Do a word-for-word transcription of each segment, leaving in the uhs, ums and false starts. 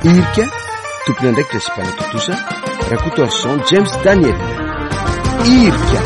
Irika, tompon'andraikitra sy mpanatontosa, Rakotoarison James Daniel. Irika.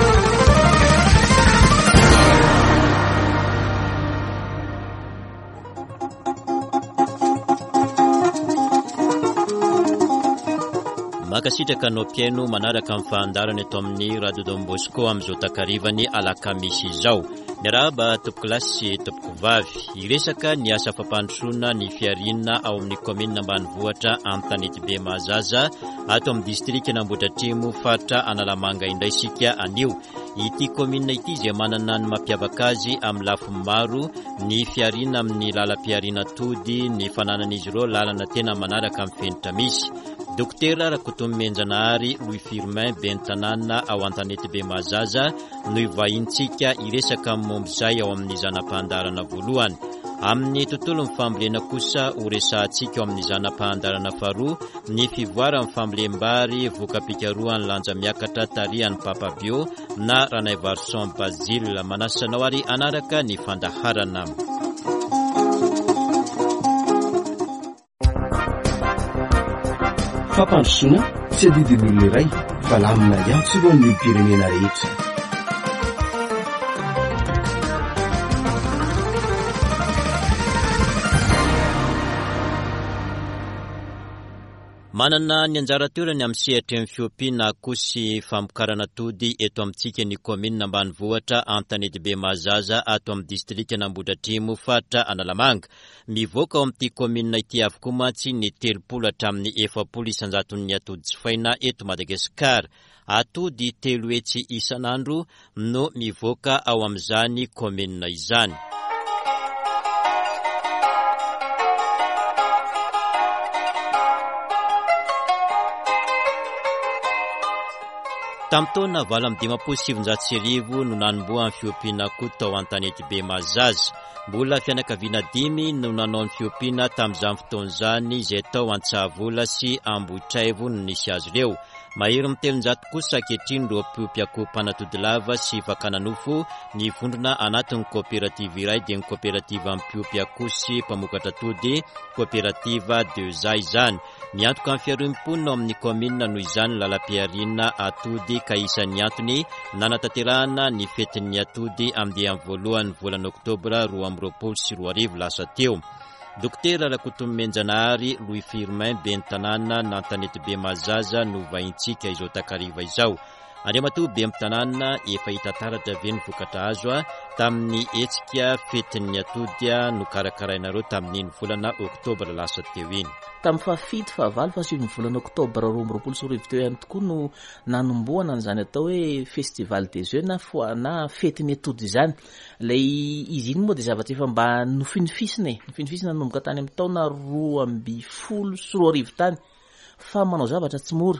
Mankasitraka anao mpihaino manaraka ny fahandarana eto amin'ny Radio Don Bosco amin'izao takarivany alakamisy izao. Miarahaba tompoko sy tompoko vavy. Hiresaka ny asa fampandrosoana ny fihariana ao amin'ny kaominina ambanivohitra Antanetibe Mahazaza ato amin'ny distrikan'Ambohidratrimo faritra Analamanga indray isika anio. Ity kaominina ity izay manana ny mampiavaka azy amin'ny lafiny maro, ny fihariana amin'ny lalam-pihariana atody, ny fananan'izy ireo lalana tena manaraka amin'ny fenitra misy. Dokotera Rakotonomenjanahary Louis Firmin ben'ny tanàna ao Antanetibe Mahazaza no hivahintsika hiresaka momba izay ao amin'ny zana-pahandarana voalohany. Amin'ny tontolon'ny fambolena kosa ho resahantsika ao amin'ny zana-pahandarana faharoa ny fivoaran'ny fambolem-bary voka-pikarohan'ny lanja miakatra tarihan'ny Papa Bio na Ranaivarison Basile. Manasa anao ary hanaraka ny fandaharana. Fampandrosoana tsy adidin'olona iray fa lamina iantsorohan'ny olom-pirenena rehetra. Manana ny anjara toerany amin'ny sehatry ny fiompiana akoho sy famokarana atody eto amintsika ny kaominina ambanivohitra Antanetibe Mahazaza ato amin'ny distrikan'Ambohidratrimo faritra Analamanga. Mivoaka ao amin'ity kaominina ity avokoa mantsy ny telopolo hatramin'ny efapolo isan-jaton'ny atody jifaina eto Madagasikara. Atody telo hetsy isan'andro no mivoaka ao amin'izany kaominina izany. Tamin'ny taona valo amby dimampolo sy sivinjato sy arivo no nanombohan'ny fiompiana akoho tao Antanetibe Mahazaza. Mbola fianakaviana dimy no nanao ny fiompiana tamin'izany fotoana izany izay tao Antsahavola sy Ambohitraivo no nisy azy ireo. Mahery amin'ny telonjato kosa ankehitriny ireo mpiompy akoho mpanatody lava sy fakana nofo ny vondrona anatin'ny koperativa iray dia ny koperativa mpiompy akoho sy mpamokatra atody, koperativa Deza izany. Miantoka amin'ny fiharoan'ny mponina ao amin'ny kaominina noho izany ny lalam-pihariana atody ka isan'ny antony nanatanterahana ny fetin'ny atody andiany voalohany volana oktobra roa amby roapolo sy roa arivo lasa teo. Dokotera Rakotonomenjanahary Louis Firmin ben'ny tanàna n'Antanetibe Mahazaza no vahintsika izao takariva izao. Andriamatoa ben'ny tanàna, efa hita taratra ve ny vokatra azo tamin'ny hetsika fetin'ny atody nokarakarainareo tamin'iny volana oktobra lasa teo iny? Tamin'ny fahafito, fahavalo, fahasivy ny volana oktobra roa amby roapolo sy roa arivo teo ihany tokoa no nanombohana an'izany atao hoe festival des œufs na foa-, na fetin'ny atody izany. Ilay izy iny moa dia zavatra efa mba nofinofisina e, nofinofisina nanomboka tany amin'ny taona roa amby folo sy roa arivo tany, fa manao zavatra tsy mora.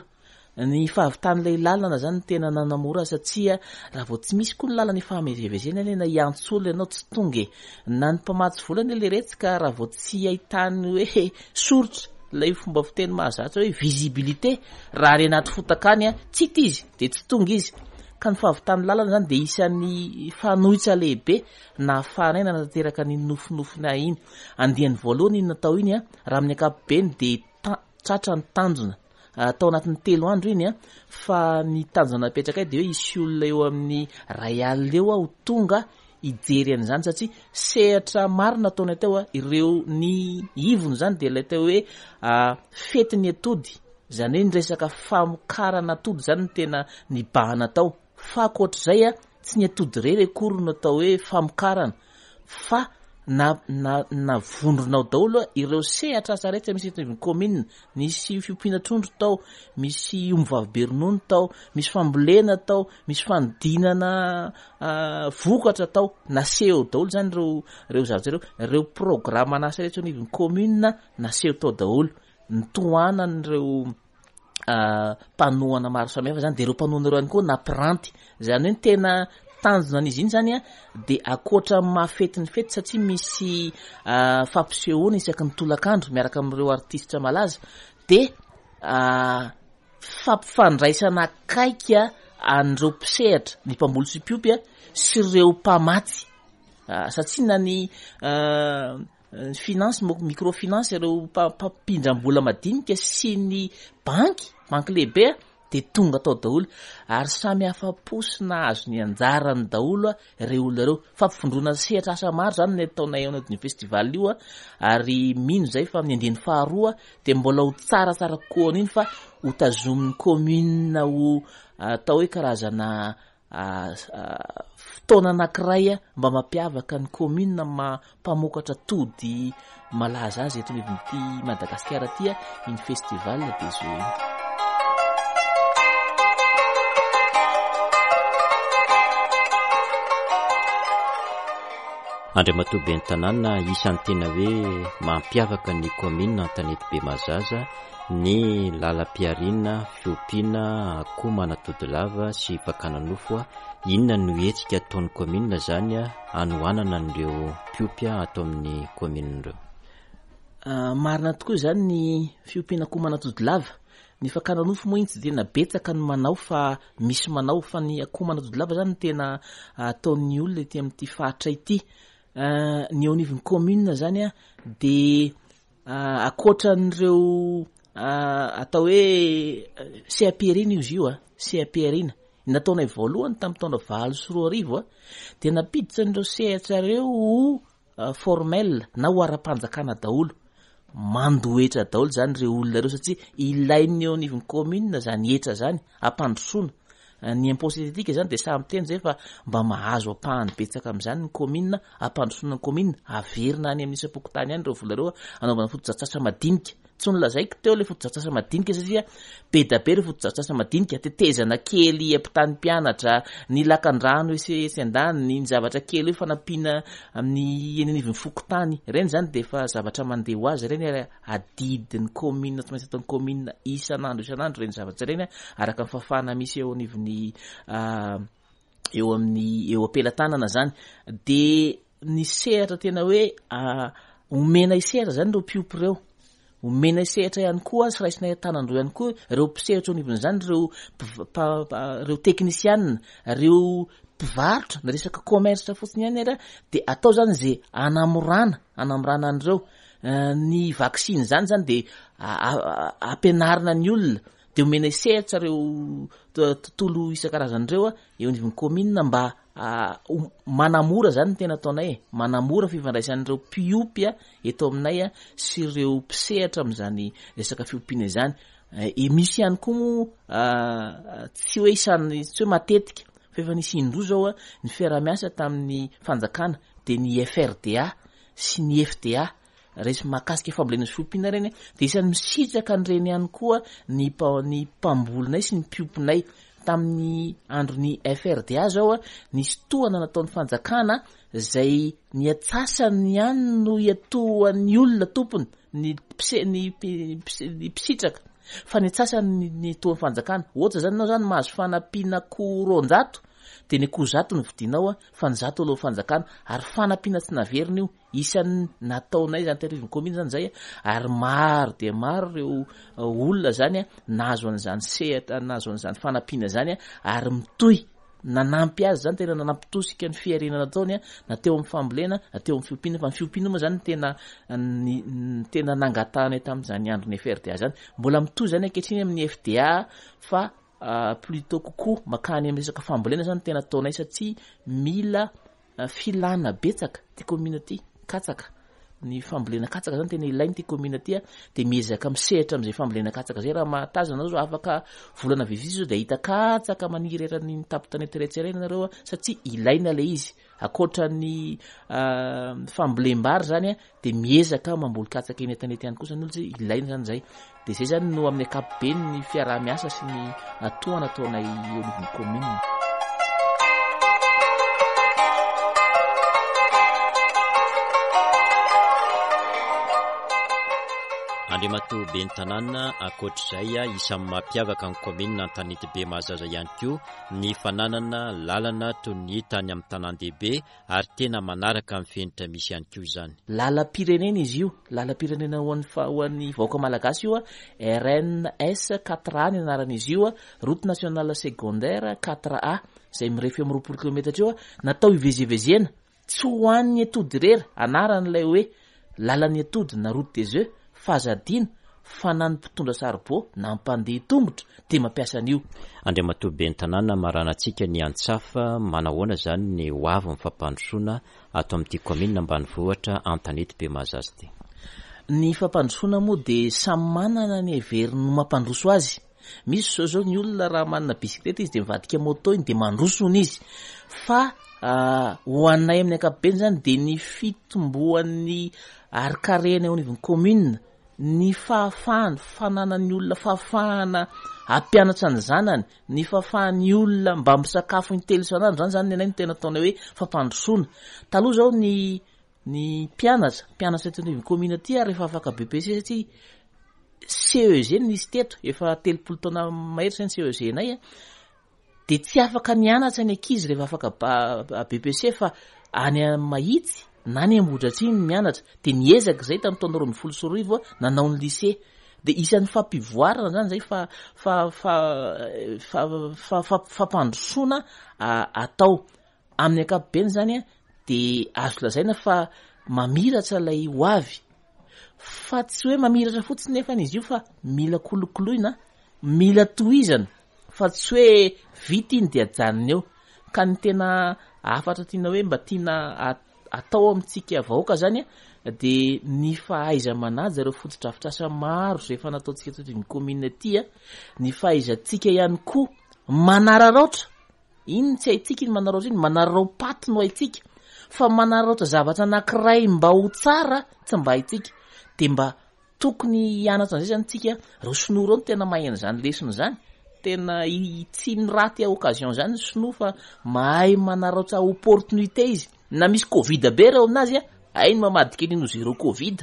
Ny fahavitan'ilay lalana zany tena nanamora satria raha vao tsy misy koa ny lalana ifamezivezena anie na hiantso olona ianao tsy tonga e. Na ny mpamatsy vola anie ilay retsy ka raha vao tsy ahitany hoe soritra ilay fomba fiteny mahazatra hoe visibilité, raha any anaty fotaka any a, tsy hita izy dia tsy tonga izy. Ka ny fahavitan'ny lalana zany dia isan'ny fanohitra lehibe nahafahanay nanatanteraka ny nofinofina iny. Andiany voalohany iny natao iny a, raha amin'ny ankapobeny dia ta-, tratra ny tanjona. Tao anatin'ny telo andro iny a, fa ny tanjona napetrakay dia hoe hisy olona eo amin'ny ray alina eo aho tonga hijery an'izany satria sehatra maro nataonay teo a, ireo ny ivony zany dia ilay atao hoe, ah, fetin'ny atody, izany hoe ny resaka famokarana atody zany no tena nibahana tao. Fa ankoatr'izay a, tsy ny atody irery akory no atao hoe famokarana fa na, na, na vondrona ao daholo a, ireo sehatra asa rehetra misy eto anivon'ny kaominina. Nisy fiompiana trondro tao, misy ombivavy be ronono tao, misy fambolena tao, misy fanodinana, ah, vokatra tao. Naseho daholo zany ireo, ireo zavatra ireo. Ireo programme an'asa rehetra anivon'ny kaominina naseho tao daholo. Nitohanan'ireo, ah, mpanohana maro samihafa zany, dia ireo mpanohana ireo ihany koa nampiranty. Izany hoe ny tena tanjona an'izy iny zany a, dia ankoatra ny mahafety ny fety satria misy, ah, fampisehoana isaky ny tolakandro miaraka amin'ireo artista malaza, dia, ah, fampifandraisana akaiky an'ireo mpisehatra, ny mpamboly sy mpiompy a, sy ireo mpamatsy. Ah, satria na ny, ah, finance, microfinance, ireo mpampindram-bola madinika sy ny banky, banky lehibe dia tonga tao daholo ary samy afa-po sy nahazo ny anjarany daholo ireo olona ireo. Fampivondrona sehatra asa maro zany ny ataonay ao anatin'io festival io ary mino zay fa amin'ny andiany faharoa dia mbola ho tsaratsara kokoa an'iny fa ho tazomin'ny commune ho atao hoe karazana fotoana anankiray mba mampiavaka ny commune mpamokatra tody malaza azy eto anivon'ity Madagasikara ity iny festival des œufs iny. Andriamatoa ben'ny tanàna, isan'ny tena hoe mampiavaka ny commune Antanetibe Mahazaza ny lalam-pihariana, fiompiana akoho manatody lava sy fakana nofo. Inona no hetsika ataon'ny commune zany hanohanana an'ireo mpiompy ato amin'ny commune ireo? Marina tokoa izany ny fiompiana akoho manatody lava. Ny fakana nofo moa iny tsy tena betsaka ny manao fa misy manao, fa ny akoho manatody lava zany no tena ataon'ny olona ety amin'ity faritra ity. Ny eo anivon'ny commune zany a dia ankoatran'ireo atao hoe seha-pihariana izy io a, seha-pihariana nataonay voalohany tamin'ny taona valo sy roa arivo a dia nampiditra an'ireo sehatra ireo ho formel na ho ara-panjakana daholo. Mandoa hetra daholo zany ireo olona ireo satria ilain'ny eo anivon'ny commune zany hetra zany hampandrosoana. Ny impôt synthétique zany dia samy miteny zay fa mba mahazo ampahany betsaka amin'izany ny commune, hampandrosoana ny commune, averina any amin'ny isam-pokontany ihany ireo vola ireo hanaovana fotodrafitrasa madinika. Tsy nolazaiko teo ilay fotodrafitrasa madinika satria be dia be ireo fotodrafitrasa madinika, tetezana kely ampitany mpianatra, ny lakan-drano etsy etsy an-daniny, ny zavatra kely hoe fanampiana amin'ny eny anivon'ny fokontany. Ireny zany dia efa zavatra mandeha ho azy ireny ary adidin'ny commune, tsy maintsy ataon'ny commune isan'andro isan'andro ireny zavatra ireny araka ny fahafahana misy eo anivon'ny, eo amin'ny, eo am-pelatanana zany. Dia ny sehatra tena hoe omena sehatra zany ireo mpiompy ireo, omena sehatra ihany koa sy raisinay an-tanan-droa ihany koa ireo mpisehatra eo anivon'izany, ireo mpiv-, ireo teknisianina, ireo mpivarotra, na resaka commerce fotsiny ihany ary dia atao zany izay hanamorana, hanamorana an'ireo. Ny vaksiny zany zany dia ampianarina ny olona, dia omena sehatra ireo tontolo isan-karazany ireo eo anivon'ny commune mba manamora zany ny tena ataonay, manamora fifandraisan'ireo mpiompy eto aminay sy ireo mpisehatra amin'izany resaka fiompiana izany. E misy ihany koa moa tsy hoe isan'ny, tsy hoe matetika fa efa nisy indroa zao ny fiaraha-miasa tamin'ny fanjakana, dia ny F R D A sy ny F D A resy mahakasika fambolena sy fiompiana ireny, dia isan'ny misitraka an'ireny ihany koa ny mpa-, ny mpambolinay sy ny mpiompinay. Tamin'ny andron'ny F R D A zao nisy tohana nataon'ny fanjakana izay ny antsasany ihany no iatohan'ny olona tompony, ny mpise-, ny mpi-, mpise-, ny mpisitraka, fa ny antsasany ny, ny tohan'ny fanjakana. Ohatra zany ianao zany mahazo fanampiana akoho roanjato, dia ny akoho zato no vidinao fa ny zato alohan'ny fanjakana, ary fanampiana tsy naverina io. Isan'ny nataonay zany teto anivon'ny commune zany zay, ary maro dia maro ireo olona zany nahazo an'izany sehatra, nahazo an'izany fanampiana zany, ary mitohy nanampy azy zany, tena nanampitosika ny fihariana nataony na teo amin'ny fambolena na teo amin'ny fiompiana. Fa ny fiompiana moa zany tena ny, ny tena nangatahana tamin'izany andron'ny F R D A zany. Mbola mitohy zany ankehitriny amin'ny F D A fa plutôt kokoa makany amin'ny resaka fambolena zany tena ataonay, satria mila filana betsaka ty commune ty, katsaka. Ny fambolena katsaka zany tena ilainy ty commune ty, dia miezaka misehatra amin'izay fambolena katsaka zay. Raha mahatazana zao, afaka volana vitsivitsy zao dia hahita katsaka maniry eran'ny tampon-tanety rehetra ireny nareo, satria ilaina ilay izy. Ankoatra ny fambolem-bary zany, dia miezaka mamboly katsaka eny an-tanety ihany koa zany olona, satria ilaina zany zay. Dia zay zany no amin'ny ankapobeny ny fiaraha-miasa sy ny tohana ataonay eo anivon'ny commune. Andriamatoa ben'ny tanàna, ankoatr'izay isan'ny mampiavaka ny commune Antanetibe Mahazaza ihany koa ny fananana lalana toy ny hita any amin'ny tanàn-dehibe ary tena manaraka ny fenitra misy ihany koa izany. Lalam-pirenena izy io, lalam-pirenena ho an'ny fa-, ho an'ny vahoaka malagasy io, R N S quatre A ny anaran'izy io, route nationale secondaire quatre A, izay mirefy eo amin'ny roapolo kilometatra eo, natao hivezivezena, tsy ho an'ny atody irery, anaran'ilay hoe Lalan'ny atody na route des œufs, fa aza adino fa na ny mpitondra saribao na mpandeha tongotra dia mampiasa an'io. Andriamatoa Ben'ny tanàna, maranantsika ny antsafa, manahoana izany ny ho avy ny fampandrosoana ato amin'ity kaominina ambanivohitra Antanety be Mahazaza ity? Ny fampandrosoana moa dia samy manana ny heveriny ho mampandroso azy. Misy zao zao ny olona raha manana bisikileta izy dia mivadika moto iny dia mandroso hono izy. Fa ho anay amin'ny ankapobeny izany dia ny fitomboan'ny harikarena eo anivon'ny kaominina, ny fahafahana, fananan'ny olona fahafahana hampianatra ny zanany, ny fahafahan'ny olona mba misakafo intelo isan'andro, zany zany ny anay no tena ataonay hoe fampandrosoana. Taloha zao ny, ny mpianatra, mpianatra eto anivon'ny kaominina aty ary efa afaka B P C satria C E G no nisy teto, efa telopolo taona mahery zay ny C E G nay a. Dia tsy afaka mianatra ny ankizy rehefa afaka ba-, B P C fa any Mahitsy na any Ambohidratrimo no mianatra. Dia niezaka izay tamin'ny taona roa ambin'ny folo sy roa arivo nanao ny lycée. Dia isan'ny fampivoarana zany zay fa, fa, fa, fa, fa, fa, fampandrosoana, a, atao. Amin'ny ankapobeny zany a, dia azo lazaina fa mamiratra ilay ho avy. Fa tsy hoe mamiratra fotsiny nefa izy io fa mila kolokoloina, mila tohizana, fa tsy hoe vita iny dia ajanona eo. Ka ny tena hafatra tiana hoe mba tiana at-, atao amintsika vahoaka zany a, dia ny fahaiza-manaja ireo fotodrafitrasa maro izay efa nataontsika teto amin'ny kaominina aty a, ny fahaizantsika ihany koa manararaotra. Iny tsy haintsika iny manararaotra iny, manararao-paty no haintsika, fa manararaotra zavatra anankiray mba ho tsara tsy mba haintsika. Dia mba tokony hianatra an'izay zany tsika. Ireo sinoa ireo no tena mahay an'izany lesona izany. Tena i-, tsy miraty occasion zany ny sinoa fa mahay manararaotra opportunité izy. Na misy Covid be reo aminazy a, hainy mamadika an'iny ho zéro Covid.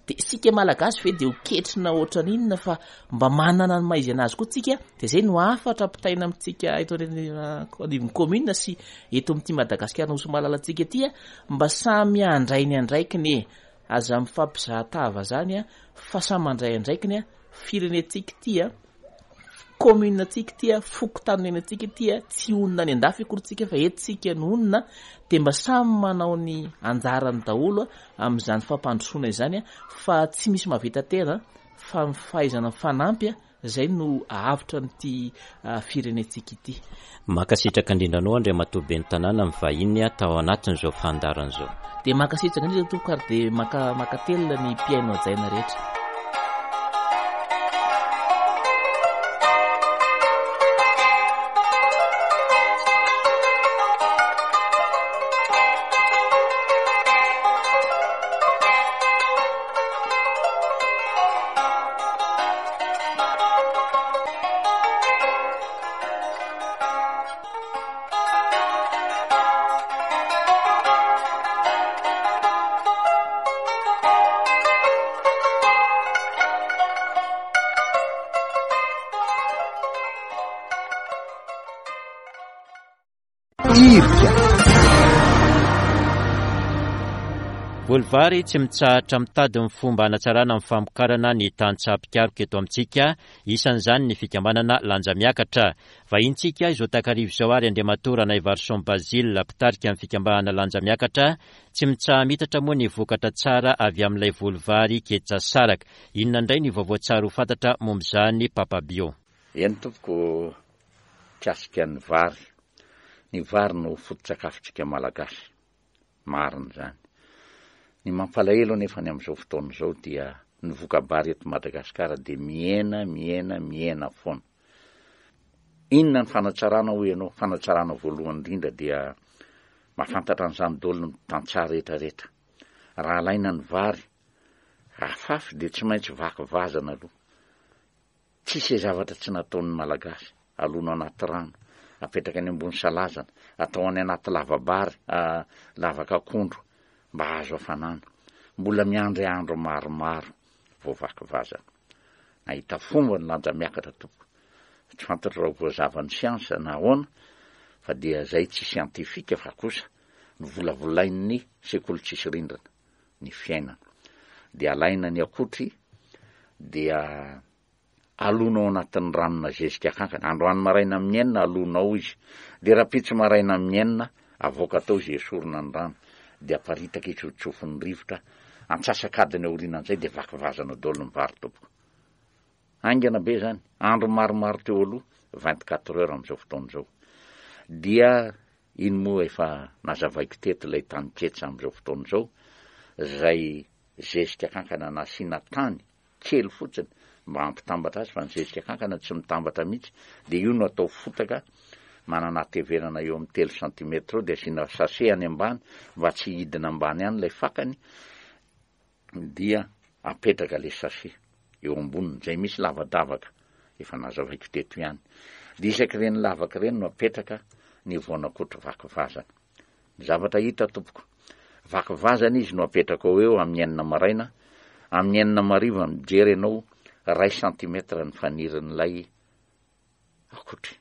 Dia isika Malagasy ve dia ho ketrina ohatran'inona fa mba manana ny maha izy anazy koa tsika. Dia izay no hafatra ampitaina amintsika eto anivon'ny commune sy eto amin'ity Madagasikara nosy malalantsika ity a, mba samy handray ny andraikiny e. Aza mifampizahatava zany a, fa samy mandray andraikiny a. Firenentsika ity a, commune tsika ity a, fokontany ity a, tsy honina any an-dafy akory tsika fa eto tsika no honina. Dia mba samy manao ny anjarany daholo a amin'izany fampandrosoana izany a, fa tsy misy mahavita tena fa ny fahaizana mifanampy a, izay no ahavitra an'ity, ah, firenentsika ity. Mankasitraka indrindra anao Andriamatoa Ben'ny tanàna mivahiny tao anatin'izao fandaharana izao. Dia mankasitraka indrindra tompoko ary dia maka-, mankatelina ny mpihaino hajaina rehetra. Voly vary tsy mitsahatra mitady ny fomba hanatsarana ny famokarana ny tantsaha mpikaroka eto amintsika, isan'izany ny fikambanana Lanja Miakatra. Vahintsika izao takarivo izao ary Andriamatoa Ranaivarison Basile, mpitarika ny fikambanana Lanja Miakatra. Tsy mitsaha-mitatra moa ny vokatra tsara avy amin'ilay voly vary ketsa saraka. Inona indray ny vaovao tsara ho fantatra momba izany, Papa Bio? Eny tompoko, mikasika ny vary. Ny vary no foto-tsakafontsika malagasy. Marina izany. Ny mampalahelo nefa ny amin'izao fotoana izao dia ny voka-bary eto Madagasikara dia mihena, mihena, mihena foana. Inona ny fanatsarana hoy ianao? Fanatsarana voalohany indrindra dia mahafantatra an'izany daholo ny tantsaha rehetrarehetra. Raha alaina ny vary, afafy dia tsy maintsy vaky vazana aloha. Tsisy zavatra tsy nataon'ny Malagasy. Alona anaty rano, apetraka any ambony salazana, atao any anaty lava-bary, ah, lavaka akondro mba hahazo hafanana. Mbola miandry andro maromaro vao vaky vazana. Nahita fomba ny Lanja Miakatra tompoko. Tsy fantatro raha voazavan'ny siansa na ahoana, fa dia zay tsy siantifika fa kosa novolavolain'ny sekoly tsisy rindrina ny fiainana. Dia alaina ny akotry, dia alona ao anatin'ny ranona zezika kankana. Androany maraina amin'ny enina alona ao izy. Dia rahampitso maraina amin'ny enina avoaka tao izy esorina ny rano. Dia aparitaka izy ho tsofin'ny rivotra Antsasak'adiny aorianan'izay dia vaky vazana daholo ny vary tompoko. Haingana be zany, andro maromaro teo aloha, vingt-quatre heures amin'izao fotoana izao. Dia iny moa efa nazavaiko teto ilay taninketsa amin'izao fotoana izao, izay zezika kankana nasiana tany kely fotsiny mba hampitambatra azy, fa ny zezika kankana tsy mitambatra mihitsy, dia io no atao fotaka manana hatevenana eo amin'ny telo santimetatra eo, dia asiana sachet any ambany mba tsy hidina ambany any ilay fakany, dia apetraka ilay sachet eo amboniny, izay misy lavadavaka efa nazavaiko teto ihany. Dia isaky ireny lavaka ireny no apetraka ny voanakotry vaky vazana. Ny zavatra hita tompoko, vaky vazana izy no apetraka ao eo amin'ny enina maraina, amin'ny enina mariva mijery ianao ray santimetra ny fanirin'ilay akotry,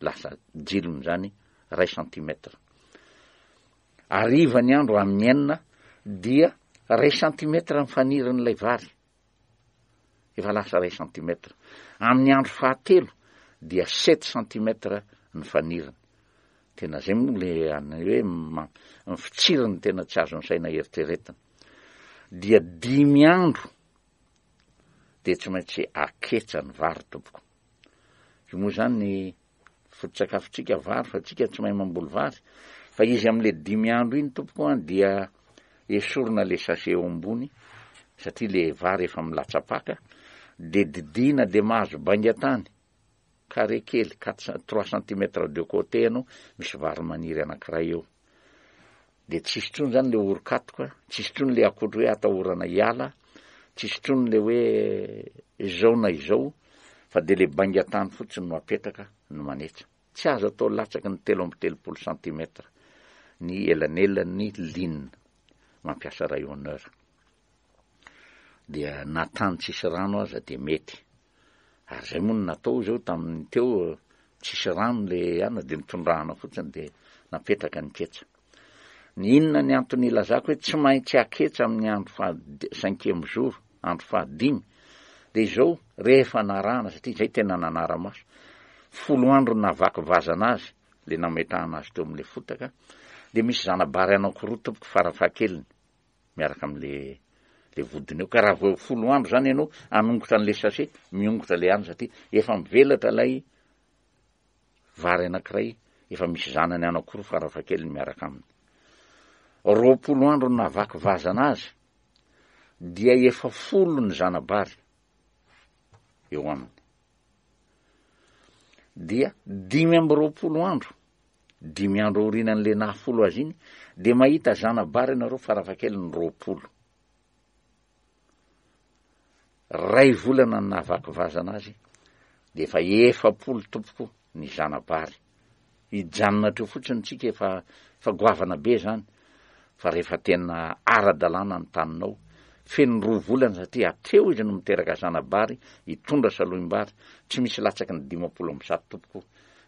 lasa jilony zany ray santimetra. Hariva ny andro amin'ny enina dia ray santimetra ny fanirin'ilay vary, efa lasa ray santimetra. Amin'ny andro fahatelo dia sept santimetra ny faniriny. Tena zay moa le any hoe ma-, ny fitsiriny tena tsy azon'ny saina eritreretina. Dia dimy andro dia tsy maintsy aketsa ny vary tompoko. Io moa zany ny foto-tsakafontsika vary, fa tsika tsy mahay mamboly vary. Fa izy amin'le dimy andro iny tompoko an, dia esorina le sachet eo ambony, satria le vary efa milatsapaka, dia didina dia mahazo bainga-tany, carré kely, quatre cent-, trois centimètres de côté ianao, misy vary maniry anankiray eo. Dia tsisy intsony zany le orokatoka, tsisy intsony le akotry hoe atahorana hiala, tsisy intsony le hoe izao na izao, fa dia le bainga-tany fotsiny no apetraka no manetsa. Tsy azo atao latsaky ny telo amby telopolo centimètres ny elanelan'ny ligne mampiasa rayonneur. Dia na tany tsisy rano aza dia mety. Ary zay moa no natao izao tamin'ny teo, tsisy rano le ana dia nitondrahana fotsiny dia napetraka ny ketsa. Ny inona ny antony ilazako hoe tsy maintsy aketsa amin'ny andro faha cinquième jour, andro fahadimy, dia izao rehefa narahana, satria izay tena nanara-maso, folo andro navaky vazana azy, le nametrahana azy teo amin'le fotaka, dia misy zana-bary anankiroa tompoko farafahakeliny miaraka amin'le le vodiny eo. Ka raha vao folo andro zany ianao hanongotra an'le sachet, miongotra le andro, satria efa mivelatra ilay vary anankiray, efa misy zanany anankiroa farafahakeliny miaraka aminy. Roapolo andro navaky vazana azy, dia efa folo ny zana-bary eo aminy. Dia dimy amby roapolo andro, dimy andro aorianan'le nahafolo azy iny, dia mahita zana-bary ianareo farafahakeliny roapolo. Ray volana ny nahavaky vazana azy, dia efa efapolo tompoko ny zana-bary. Hijanona hatreo fotsiny tsika efa, efa goavana be zany, fa rehefa tena ara-dalàna ny taninao, feno roa volana, satria hatreo izy no miteraka zana-bary, hitondra salohim-bary, tsy misy latsaky ny dimampolo amby zato tompoko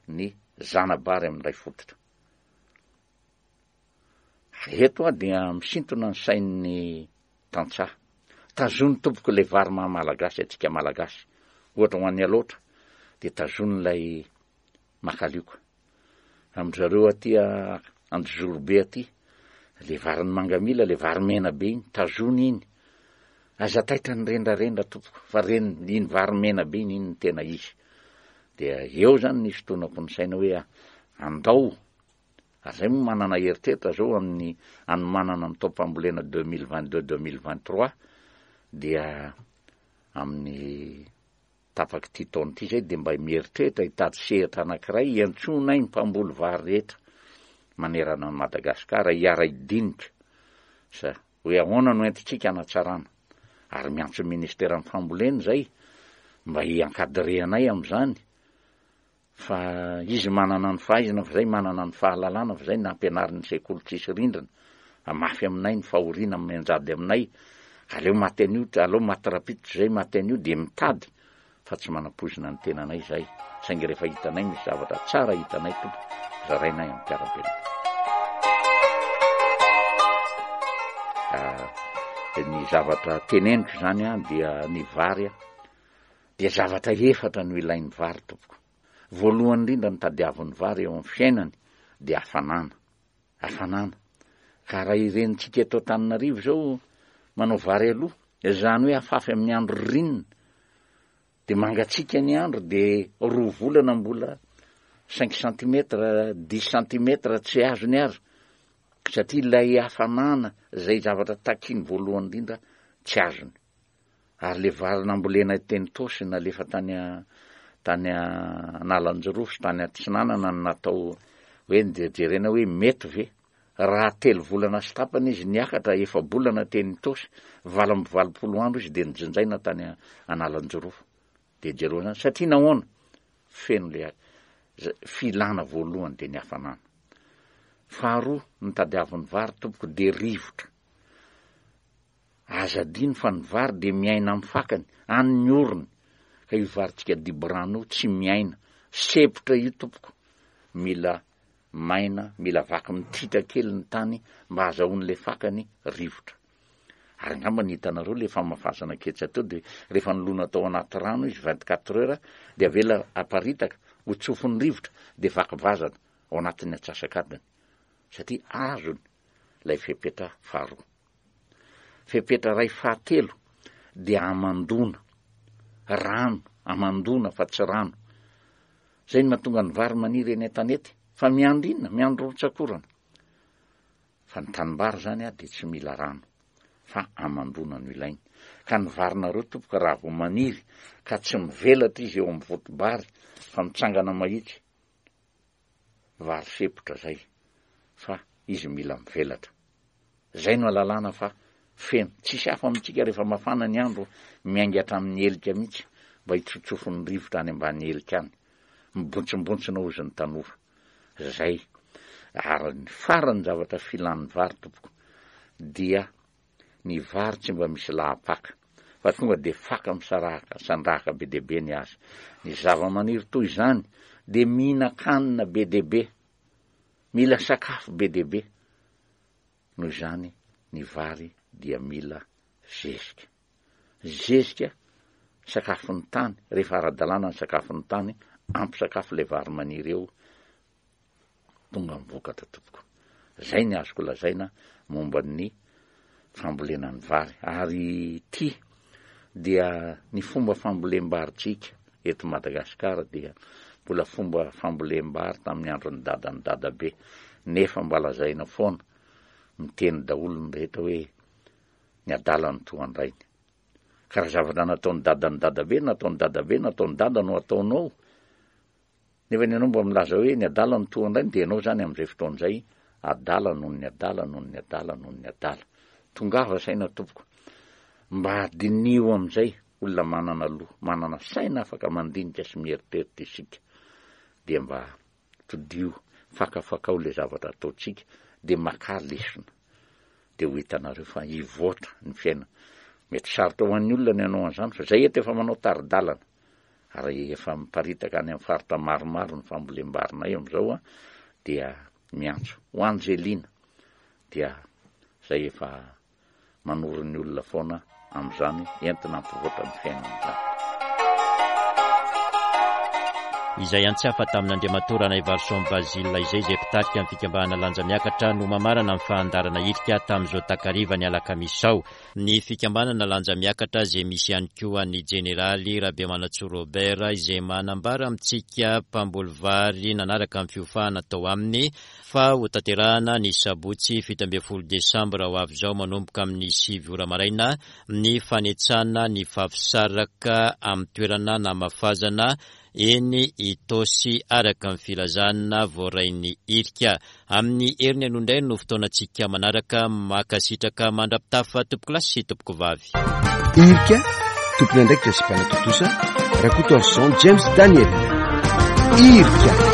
ny zana-bary amin'ny ray fototra. Eto aho dia misintona ny sain'ny tantsaha. Tazony tompoko ilay vary maha malagasy antsika malagasy. Ohatra ho an'ny Alaotra dia tazony ilay makalioka. Amin-dry zareo aty Anjozorobe aty, le varin'ny mangamila, le vary mena be iny, tazony iny. Aza taitra ny rendrarendra tompoko, fa reny iny vary mena be iny, iny no tena izy. Dia eo zany ny fitonako ny saina hoe andao. Ary zay moa manana eritreritra zao amin'ny anomanana ny taom-pambolena deux mille vingt-deux, deux mille vingt-trois, dia amin'ny tapaky ity taona ity zay dia mba mieritreritra hitady sehatra anankiray hiantsoana ny mpamboly vary rehetra manerana an'i Madagasikara hiara-hidinika sa hoe ahoana no entintsika hanatsarana. Ary miantso ny ministeran'ny fambolena zay mba hi-encadrer anay amin'izany, fa izy manana ny fahaizana, fa zay manana ny fahalalana, fa zay nampianarin'ny sekoly tsisy rindrina, mafy aminay ny fahoriana mianjady aminay, aleo maty an'io, aleo maty rapito zay maty an'io, dia mitady fa tsy manampoizina ny tenanay zay. Saingy rehefa hitanay misy zavatra tsara hitanay tompoko, zarainay amin'ny mpiara-belona. Ah, ny zavatra teneniko zany an, dia ny vary an, dia zavatra efatra no ilain'ny vary tompoko. Voalohany indrindra ny tadiavin'ny vary eo amin'ny fiainany dia hafanana. Hafanana. Ka raha irentsika eto Antananarivo zao, Manao vary aloha, izany hoe afafy amin'ny andro ririnina, de mangatsiaka ny andro, de roa volana mbola cinq centimètres, dix centimètres tsy azony ary, satria ilay hafanana zay zavatra takiny voalohany indrindra tsy azony. Ary le vary nambolena teny Tosy nalefa tany a, tany Analanjirofo sy tany Atsinanana no natao hoe jerena hoe mety ve. Raha telo volana sy tapany izy niakatra, efa-bolana teny Tosy, valo amby valopolo andro izy de nijinjaina tany Analanjirofo. De jereo zany, satria nahoana? Feno le filana voalohany de ny hafanana. Faharoa, ny tadiavin'ny vary tompoko de rivotra. Aza adino fa ny vary de miaina amin'ny fakany, any ny orony. Ka io varintsika diborano io tsy miaina, sepotra io tompoko. Mila maina, mila vaky mititra kely ny tany mba ahazahoan'ilay fakany rivotra. Ary angamba ny hitanareo le famafazana ketsa teo de rehefa nolona tao anaty rano izy vingt-quatre heures de avela aparitaka ho tsofin'ny rivotra de vaky vazana ao anatin'ny antsasak'adiny, satria azony ilay fepetra faharoa. Fepetra ray fahatelo de amandona, rano, amandona fa tsy rano. Zay no mahatonga ny vary maniry eny an-tanety, fa miandry inona? Miandry rotsakorana. Fa ny tanimbary zany a de tsy mila rano, fa amandona no ilainy. Ka ny varinareo tompoko raha vao maniry ka tsy mivelatra izy eo amin'ny voto-bary fa mitsangana mahitsy, vary sepotra zay, fa izy mila mivelatra. Zay no alalàna fa feno. Tsisy hafa amintsika rehefa mafana ny andro, miainga hatramin'ny helika mihitsy mba hitsotsofon'ny rivotra any ambany helika any. Mibontsimbotsina hozy ny tanora. Zay. Ary ny farany zavatra filan'ny vary tompoko dia ny vary tsy mba misy lahapaka, fa tonga de faka misaraka, sandrahaka be dia be ny azy. Ny zava-maniry toy izany de mihinan-kanina be dia be, mila sakafo be dia be. Noho izany ny vary dia mila zezika. Zezika sakafon'ny tany, rehefa ara-dalàna ny sakafon'ny tany, ampy sakafo ilay vary maniry eo, tonga mivokatra tompoko. Zay ny azoko lazaina momba ny fambolena ny vary. Ary ty dia ny fomba fambolem-barintsika eto Madagasikara dia mbola fomba fambolem-bary tamin'ny andron'ny dadan'ny dadabe, nefa mba lazaina foana, miteny daholo ny rehetra hoe ny adala no toa an-drainy. Ka raha zavatra nataon'ny dadan'ny dadabe, nataon'ny dadabe, nataon'ny dada no ataonao, nefa ny anao mba milaza hoe ny adala no toa an-drainy, dia ianao zany amin'izay fotoana izay adala noho ny adala, noho ny adala, noho ny adala. Tongava saina tompoko, mba diniho amin'izay olona manana loha, manana saina afaka mandinika sy mieritreritra isika, dia mba todio, fakafakao ilay zavatra ataontsika, dia maka lesona, dia ho hitanareo fa hivoatra ny fiainana. Mety sarotra ho an'ny olona ny hanao an'izany, fa zay eto efa manao tari-dalana, ary efa miparitaka any amin'ny faritra maromaro ny fambolem-barinay amin'izao a, dia miantso ho Angelina, dia zay efa manoro ny olona foana amin'izany, entina hampivoatra ny fiainana izany. Izay antsafa tamin'Andriamatoa Ranaivarison Basile izay, izay mpitarika ny fikambanana Lanja Miakatra no mamarana ny fandaharana hirika tamin'izao takariva ny alakamisy izao. Ny fikambanana Lanja Miakatra izay misy ihany koa ny jeneraly Rabemanantsoa Robert izay manambara amintsika mpamboly vary nanaraka ny fiofahana tao aminy fa ho tanterahana ny sabotsy fito ambin'ny folo desambra ho avy izao manomboka amin'ny sivy ora maraina ny fanetsana ny fafisaraka amin'ny toerana namafazana eny Itaosy araka ny filazana voarain'ny hirika. Amin'ny heriny aloha indray no fotoanantsika manaraka. Mankasitraka mandra-pitafa tompoko lahy sy tompoko vavy. Hirika, tompon'andraikitra sy mpanatontosa Rakotoarison James Daniel. Hirika.